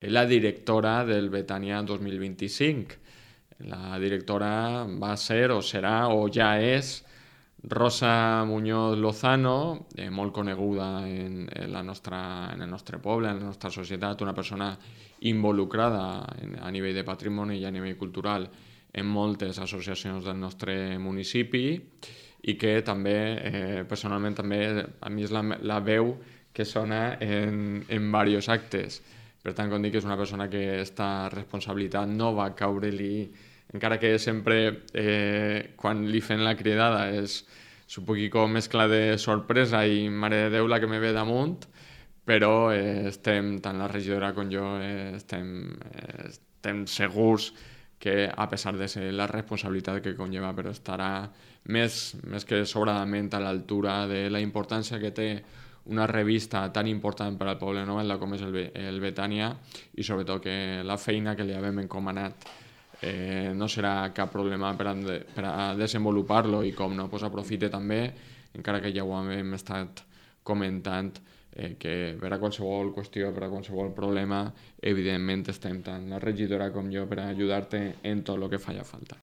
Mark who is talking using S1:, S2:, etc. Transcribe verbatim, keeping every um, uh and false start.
S1: la directora del Betània dos mil vint-i-cinc. La directora va ser, o serà, o ja és, Rosa Muñoz Lozano, eh, molt coneguda en, en, la nostra, en el nostre poble, en la nostra societat, una persona involucrada en, a nivell de patrimoni i a nivell cultural en moltes associacions del nostre municipi i que també, eh, personalment, també a mi és la, la veu que sona en, en diversos actes. Per tant, com dic, és una persona que aquesta responsabilitat no va caure-li, encara que sempre eh, quan li fem la cridada és un poquicó mescla de sorpresa i mare de Déu la que me ve damunt, però eh, estem, tant la regidora com jo, eh, estem, eh, estem segurs que a pesar de ser la responsabilitat que conlleva, però estarà més, més que sobradament a l'altura de la importància que té una revista tan important per al poble novelda com és el, el Betània i sobretot que la feina que li havem encomanat eh, no serà cap problema per a, per a desenvolupar-lo i com no, pues aprofite també, encara que ja ho hem estat comentant, eh, que per a qualsevol qüestió, per a qualsevol problema, evidentment estem tant la regidora com jo per a ajudar-te en tot el que faci falta.